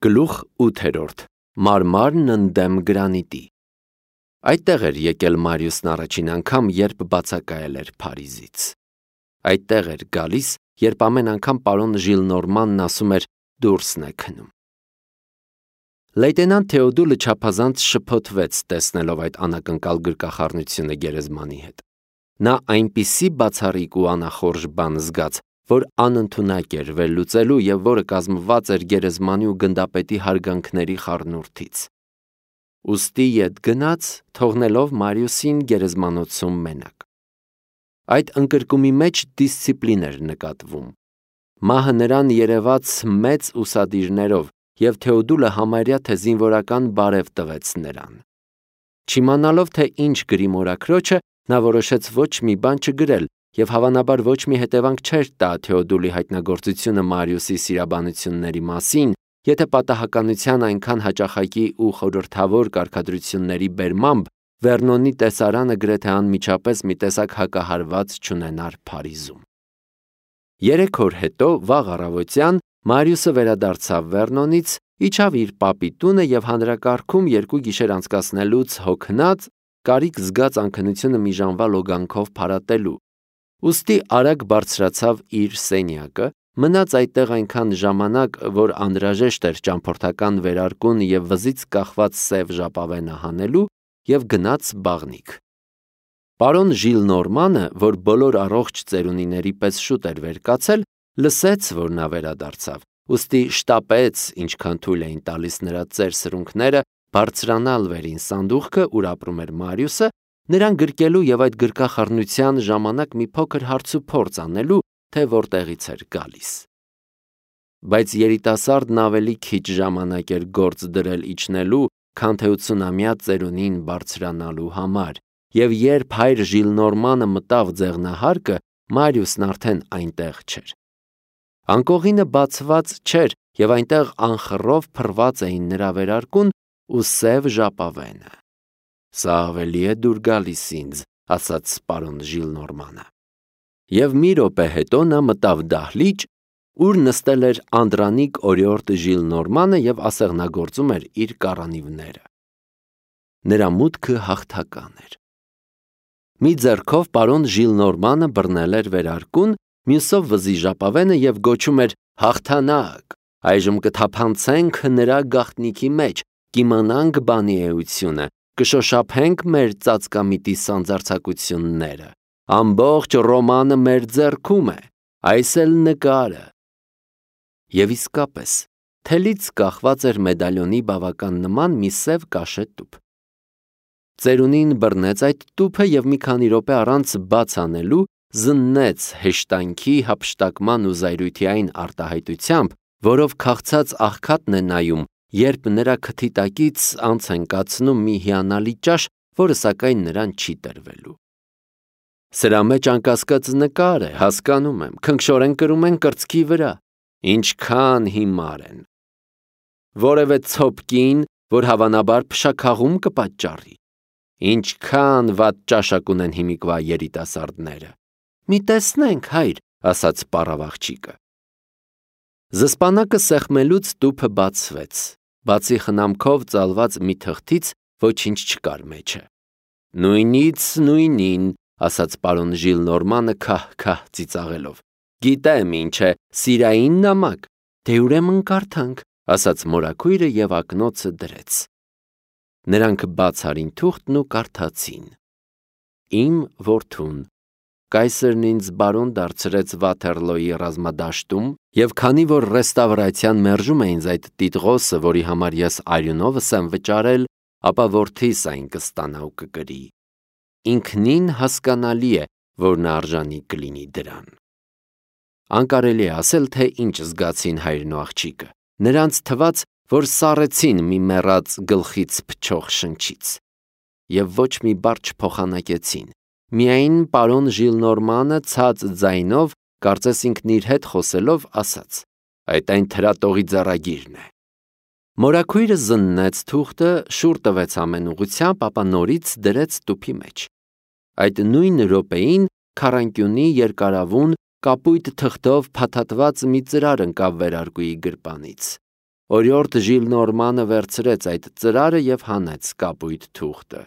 Գլուխ 8. Մարմարն ընդդեմ գրանիտի։ Այդտեղ էր եկել Մարիուսն առաջին անգամ, երբ բացակայել էր Փարիզից։ Այդտեղ էր գալիս, երբ ամեն անգամ պարոն Ժիլնորմանն ասում էր դուրսն է քնում։ Լեյտենանտ Թեոդուլը չափազանց շփոթվեց, տեսնելով այդ անակնկալ գրկախառնությունը գերեզմանի հետ։ Նա այնպիսի բացառիկ ու անախորժ բան զգաց, որ անընդունակ էր վերլուծելու և որը կազմված էր գերեզմանի ու գնդապետի հարգանքների խառնուրդից։ Ուստի ետ գնաց, թողնելով Մարիուսին գերեզմանոցում մենակ։ Այդ ընկրկումի մեջ դիսցիպլին էր նկատվում։ Մահը նրան երևաց մեծ ուսադիրներով, և Թեոդուլը համարյա թե զինվորական բարև տվեց նրան։ Չիմանալով, թե ինչ գրի մորաքրոջը, նա որոշեց ոչ մի բան չգրել և հավանաբար ոչ մի հետևանք չէր տա Թեոդուլի հայտնագործությունը Մարիուսի սիրաբանությունների մասին, եթե պատահականության այնքան հաճախակի ու խորհրդավոր կարգադրությունների բերմամբ Վերնոնի տեսարանը գրեթե անմիջապես մի տեսակ հակահարված չունենար Փարիզում։ 3 օր հետո, վաղ առավոտյան, Մարիուսը վերադարձավ Վերնոնից, իջավ իր պապի տունը և հանրակարգում 2 գիշեր անցկացնելուց հոգնած, կարիք զգաց անքնությունը մի ժամվա լոգանքով փարատելու։ Ուստի արագ բարձրացավ իր սենյակը, մնաց այդտեղ այնքան ժամանակ, որ անհրաժեշտ էր ճամփորդական վերարկուն և վզից կախված սև ժապավենը հանելու, և գնաց բաղնիք։ Պարոն Ժիլնորմանը, որ բոլոր առողջ ծերունիների պես շուտ էր վեր կացել, լսեց, որ նա վերադարձավ, ուստի շտապեց, ինչքան թույլ էին տալիս նրա ծեր սրունքները, բարձրանալ վերին սանդուղքը, ուր ապրում էր Մարիուսը, նրան գրկելու և այդ գրկախառնության ժամանակ մի փոքր հարցուփորձ անելու, թե որտեղից էր գալիս։ Բայց երիտասարդն ավելի քիչ ժամանակ էր գործ դրել իջնելու, քան թե 80-ամյա ծերունին բարձրանալու համար, և երբ հայր Ժիլնորմանը մտավ ձեղնահարկը, Մարիուսն արդեն այնտեղ չէր։ Անկողինը բացված չէր, և այնտեղ անխռով փռված էին նրա վերարկուն ու սև ժապավենը։ «Սա ավելի է դուր գալիս ինձ», ասաց պարոն Ժիլնորմանը։ Եվ մի րոպե հետո նա մտավ դահլիճ, ուր նստել էր Անդրանիկ օրիորդ Ժիլնորմանը և ասեղնագործում էր իր կառանիվները։ Նրա մուտքը հաղթական էր։ Մի ձեռքով պարոն Ժիլնորմանը բռնել էր վերարկուն, մյուսով վզի ժապավենը և գոչում էր «Հաղթանակ, այժմ կթափանցենք նրա գաղտնիքի մեջ, կիմանանք բանի էությունը, կշոշափենք մեր ծածկամիտի սանձարձակությունները, ամբողջ Ռոմանը մեր ձեռքում է, այս էլ նկարը»։ Եվ իսկապես, թելից կախված էր մեդալյոնի բավական նման մի սև կաշե տուփ։ Ծերունին բռնեց այդ տուփը և մի քանի րոպե առանց բաց անելու զննեց հեշտանքի, հափշտակման ու զայրույթի այն արտահայտությամբ, որով քաղցած աղքատն է նայում, երբ նրա քթի տակից անց են կացնում մի հիանալի ճաշ, որը սակայն նրան չի տրվելու։ «Սրա մեջ անկասկած նկար է, հասկանում եմ, քնքշորեն կրում են կրծքի վրա, ինչքան հիմար են։ Որևէ ցոփ կին, որ հավանաբար փշաքաղում կպատճառի, ինչքան վատ ճաշակ ունեն հիմիկվա երիտասարդները։ Մի տեսնենք, հայր», ասաց պառավ աղջիկը։ Զսպանակը սեղմելուց տուփը բացվեց, բացի խնամքով ծալված մի թղթից ոչինչ չկար մեջը։ «Նույնից նույնին», ասաց պարոն Ժիլնորմանը քահ-քահ ծիծաղելով։ «Գիտեմ ինչ է, սիրային նամակ, դե ուրեմն կարդանք», ասաց մորաքույրը և ակնոցը դրեց։ Նրանք բաց արին թուղթն ու կարդացին. «Իմ որդուն, կայսրն ինձ բարոն դարձրեց Վաթերլոյի ռազմադաշտում, և քանի որ ռեստավրացիան մերժում է ինձ այդ տիտղոսը, որի համար ես արյունովս եմ վճարել, ապա որդիս այն կստանա ու կկրի։ Ինքնին հասկանալի է, որ նա արժանի կլինի դրան»։ Անկարելի է ասել, թե ինչ զգացին հայրն ու աղջիկը։ Նրանց թվաց, որ սառեցին մի մեռած գլխից փչող շնչից։ Եվ ոչ մի բառ չփոխանակեցին։ Միայն պարոն Ժիլնորմանը ցած ձայնով, կարծես ինքն իր հետ խոսելով, ասաց. «Այդ այն թրատողի ձեռագիրն է»։ Մորաքույրը զննեց թուղթը, շուռ տվեց ամեն ուղղությամբ, ապա նորից դրեց տուփի մեջ։ Այդ նույն րոպեին քառանկյունի երկարավուն, կապույտ թղթով փաթաթված մի ծրար ընկավ վերարկուի գրպանից։ Օրիորդ Ժիլնորմանը վերցրեց այդ ծրարը և հանեց կապույտ թուղթը։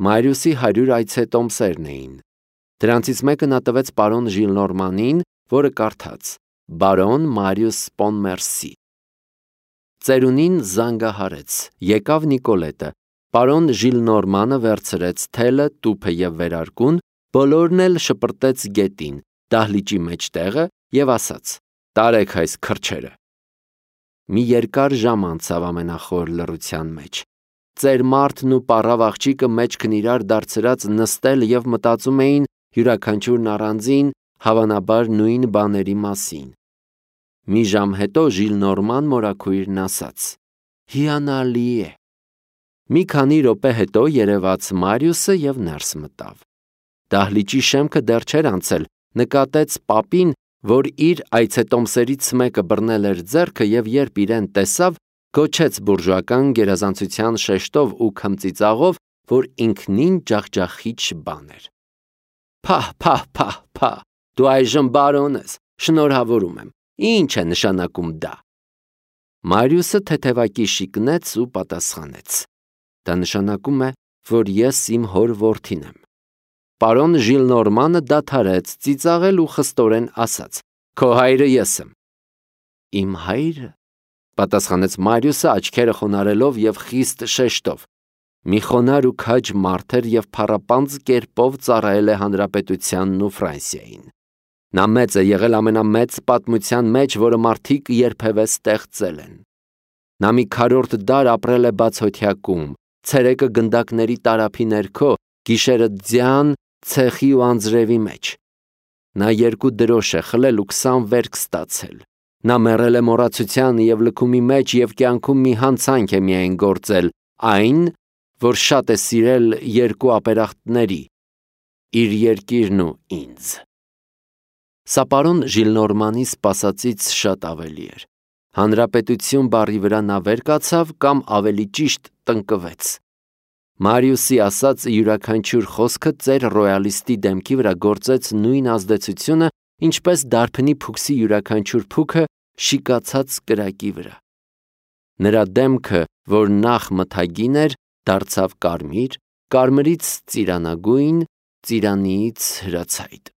Մարիուսի 100 այցետոմսերն էին։ Դրանցից մեկը նա տվեց պարոն Ժիլնորմանին, որը կարդաց. Բարոն Մարիուս Պոնմերսի։ Ծերունին զանգահարեց, եկավ Նիկոլետը, պարոն Ժիլնորմանը վերցրեց թելը, տուփը և վերարկուն, բոլորն էլ շպրտեց գետին, դահլիճի մեջտեղը և ասաց. տարեք այս քրջերը։ Մի երկար ժամ անցավ ամենախոր լռության մեջ։ Ծեր մարդն ու պառավ աղջիկը մեջքն իրար դարձրած նստել և մտածում էին յուրաքանչյուրն առանձին, հավանաբար նույն բաների մասին։ Մի ժամ հետո Ժիլնորման մորաքույրն ասաց. հիանալի է։ Մի քանի րոպե հետո երևաց Մարիուսը և ներս մտավ։ Դահլիճի շեմքը դեռ չէր անցել, նկատեց պապին, որ իր այցետոմսերից մեկը բռնել էր ձեռքը և երբ իրեն տեսավ, գոչեց բուրժուական գերազանցության շեշտով ու քմծիծաղով, որ ինքնին ջախջախիչ բան էր։ Փահ, դու այժմ բարոն ես, շնորհավորում եմ, ինչ է նշանակում դա։ Մարիուսը թեթևակի շիկնեց ու պատասխանեց. դա նշանակում է, որ ես իմ հոր որդին եմ։ Պարոն Ժիլնորմանը դադարեց ծիծաղել ու խստորեն ասաց. քո հայրը ես եմ։ Իմ հայրը, պատասխանեց Մարիուսը աչքերը խոնարհելով և խիստ շեշտով։ Մի խոնարհ ու քաջ մարդ էր և փառապանծ կերպով ծառայել է հանրապետությանն ու Ֆրանսիային։ Նա մեծ է եղել ամենամեծ պատմության մեջ, որը մարդիկ երբևէ ստեղծել են։ Նա մի քառորդ դար ապրել է բացօթյակում, ցերեկը գնդակների տարափի ներքո, գիշերը ձյան, ցեխի ու անձրևի մեջ։ Նա 2 դրոշ է խլել ու 20 վերք ստացել։ Նա մեռել է մոռացության և լքումի մեջ և կյանքում մի հանցանք է միայն գործել, այն, որ շատ է սիրել 2 ապերախտների՝ իր երկիրն ու ինձ։ Սա պարոն Ժիլնորմանի սպասածից շատ ավելի էր։ Հանրապետություն բառի վրա նա վեր կացավ կամ ավելի ճիշտ տնկվեց։ Մարիուսի ասած յուրաքանչյուր խոսքը ծեր ռոյալիստի դեմքի վրա գործեց նույն ազդեցությունը, ինչպես դարբնի փուքսի յուրաքանչյուր փուքը շիկացած կրակի վրա։ Նրա դեմքը, որ նախ մթագին էր, դարձավ կարմիր, կարմրից ծիրանագույն, ծիրանիից հրացայտ։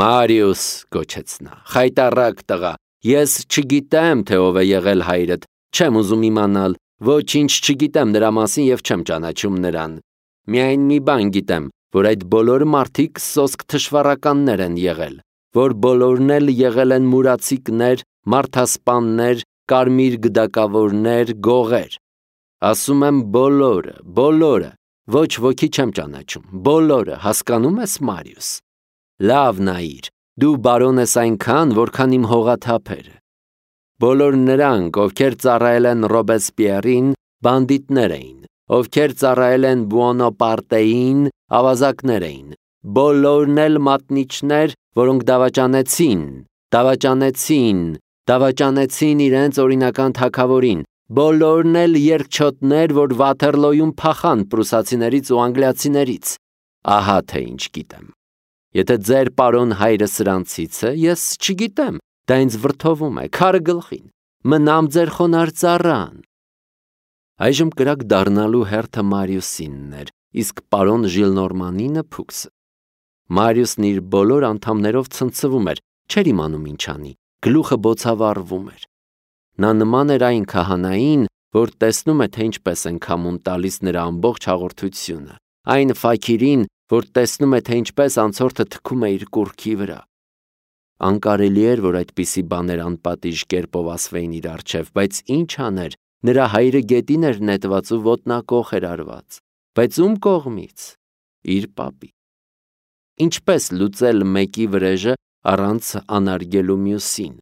Մարիուս, գոչեց նա, խայտառակ տղա, ես չգիտեմ, թե ով է եղել հայրդ, չեմ ուզում իմանալ, ոչինչ չգիտեմ նրա մասին և չեմ ճանաչում նրան։ Միայն մի բան գիտեմ, որ այդ բոլոր մարդիկ սոսկ թշվառականներ են եղել, որ բոլորն էլ եղել են մուրացիկներ, մարդասպաններ, կարմիր գդակավորներ, գողեր։ Ասում եմ բոլորը, ոչ ոքի չեմ ճանաչում, բոլորը, հասկանում ես, Մարիուս։ Լավ նայիր, դու բարոն ես այնքան, որքան իմ հողաթափերը։ Բոլոր նրանք, ովքեր ծառայել են Ռոբեսպիերին, բանդիտներ էին, ովքեր ծառայել են Բուոնապարտեին, ավազակներ էին, բոլորն էլ մատնիչներ, որոնք դավաճանեցին իրենց օրինական թագավորին, բոլորն էլ երկչոտներ, որ Վաթերլոյում փախան պրուսացիներից ու անգլիացիներից։ Ահա թե ինչ գիտեմ։ Եթե ձեր պարոն հայրը սրանցից է, ես չգիտեմ, դա ինձ վրդովում է, քարը գլխին, մնամ ձեր խոնարհ ծառան։ Այժմ կրակ դառնալու հերթը Մարիուսինն էր, իսկ պարոն Ժիլնորմանինը փուքսը։ Մարիուսն իր բոլոր անդամներով ցնցվում էր, չէր իմանում ինչ անի, գլուխը բոցավառվում էր։ Նա նման էր այն քահանային, որ տեսնում է, թե ինչպես են քամուն տալիս նրա ամբողջ հաղորդությունը, այն ֆաքիրին, որ տեսնում է, թե ինչպես անցորդը թքում է իր կուռքի վրա։ Անկարելի էր, որ այդպիսի բաներ անպատիժ կերպով ասվեին իր առջև, բայց ինչ աներ, նրա հայրը գետին էր նետված ու ոտնակոխ էր արված, բայց ում կողմից։ Իր պապի։ Ինչպես լուծել մեկի վրեժը առանց անարգելու մյուսին։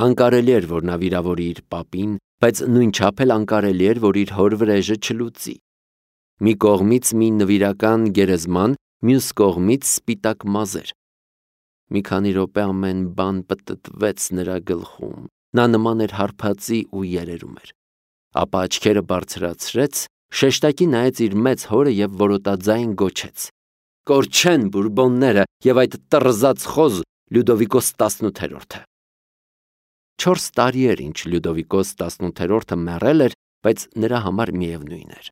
Անկարելի էր, որ նա վիրավորի իր պապին, բայց նույնչափ էլ անկարելի էր, որ իր հոր վրեժը չլուծի։ Մի կողմից մի նվիրական գերեզման, մյուս կողմից սպիտակ մազեր։ Մի քանի րոպե ամեն բան պտտվեց նրա գլխում։ Նա նման էր հարբածի ու երերում էր։ Ապա աչքերը բարձրացրեց, շեշտակի նայեց իր մեծ հորը և որոտաձայն գոչեց. Կորչեն բուրբոնները և այդ տռզած խոզ Լյուդովիկոս 18-ը։ 4 տարի էր, ինչ Լյուդովիկոս 18-րդը մեռել էր, բայց նրա համար միևնույն էր։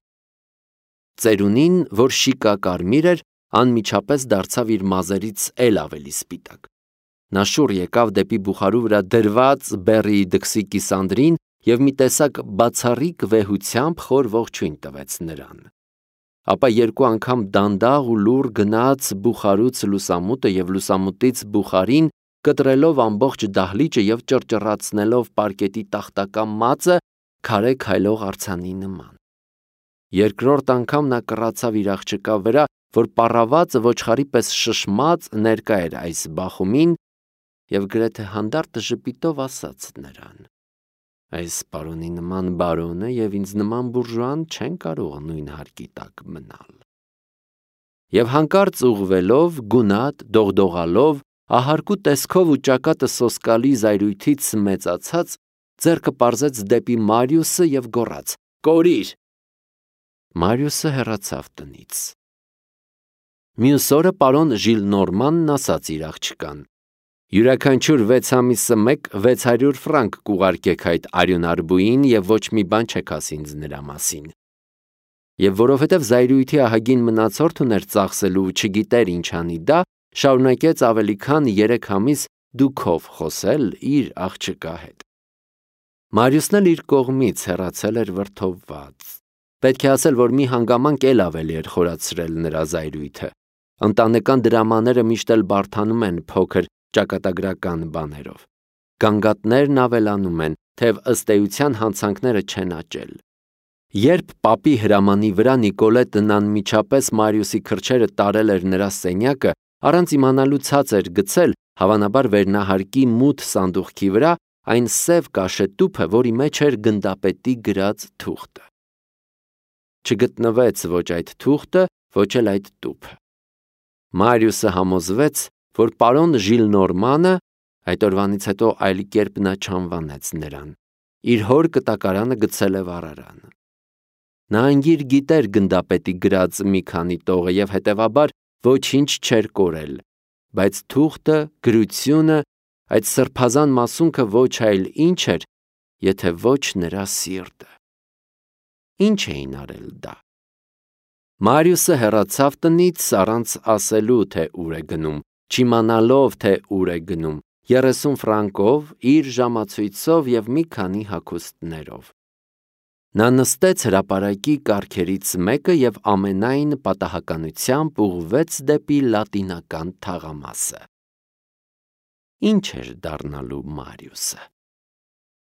Ծերունին, որ շիկա կարմիր էր, անմիջապես դարձավ իր մազերից էլ ավելի սպիտակ։ Նա շուռ եկավ դեպի բուխարու վրա դրված բեռի դքսի կիսանդրին և մի տեսակ բացառիկ վեհությամբ խոր ողջույն տվեց նրան։ Ապա 2 անգամ դանդաղ ու լուռ գնաց բուխարուց լուսամուտը և լուսամուտից բուխարին, կտրելով ամբողջ դահլիճը և ճռճռացնելով պարկետի տախտակա մածը քարե քայլող արձանի նման։ Երկրորդ անգամ նա կռացավ իր աղջկա վրա, որ պառավացը ոչխարի պես շշմած ներկա էր այս բախումին, և գրեթե հանդարտ ժպիտով ասաց նրան. «Այս պարոնի նման բարոնը և ինձ նման բուրժուան չեն կարող նույն հարկի տակ մնալ»։ Եվ հանկարծ ուղղվելով, գունատ, դողդողալով, ահարկու տեսքով ու ճակատը սոսկալի զայրույթից մեծացած, ձեռքը պարզեց դեպի Մարիուսը և գոռաց. «Կորիր»։ Մարիուսը հեռացավ տնից։ Մյուս օրը պարոն Ժիլնորմանն ասաց իր աղջկան. «Յուրաքանչյուր 6 ամիսը մեկ 600 ֆրանկ կուղարկեք այդ արյունարբուին և ոչ մի բան չեք ասի ինձ նրա մասին»։ Եվ որովհետև զայրույթի ահագին մնացորդ ուներ ծախսելու ու չգիտեր ինչ անի դա, շարունակեց ավելի քան 3 ամիս դուքով խոսել իր աղջկա հետ։ Մարիուսն էլ իր կողմից հեռացել էր վրդովված։ Պետք է ասել, որ մի հանգամանք էլ ավելի էր խորացրել նրա զայրույթը։ Ընտանեկան դրամաները միշտ էլ բարդանում են փոքր ճակատագրական բաներով։ Գանգատներն ավելանում են, թեև ըստ էության հանցանքները չեն աճել։ Երբ պապի հրամանի վրա Նիկոլետն անմիջապես Մարիուսի քրչերը տարել էր նրա սենյակը, առանց իմանալու ցած էր գցել, հավանաբար վերնահարկի մութ սանդուղքի վրա, այն սև կաշետուփը, որի մեջ էր գնդապետի գրած թուղթը։ Չգտնվեց ոչ այդ թուղթը, ոչ էլ այդ տուփը։ Մարիուսը համոզվեց, որ պարոն Ժիլնորմանը, այդ օրվանից հետո այլ կերպ նա չանվանեց նրան, իր հոր կտակարանը գցել է վառարան։ Նա անգիր գիտեր գնդապետի գրած մի քանի տողը և հետևաբար ոչինչ չէր կորել, բայց թուղթը, գրությունը, այդ սրբազան մասունքը ոչ այլ ինչ էր, եթե ոչ նրա սիրտը։ Ինչ էին արել դա։ Մարիուսը հեռացավ տնից առանց ասելու, թե ուր է գնում, չիմանալով, թե ուր է գնում, 30 ֆրանկով, իր ժամացույցով և մի քանի հագուստներով։ Նա նստեց հրապարակի կառքերից մեկը և ամենայն պատահականությամբ ուղղվեց դեպի լատինական թաղամասը։ Ինչ էր դառնալու Մարիուսը։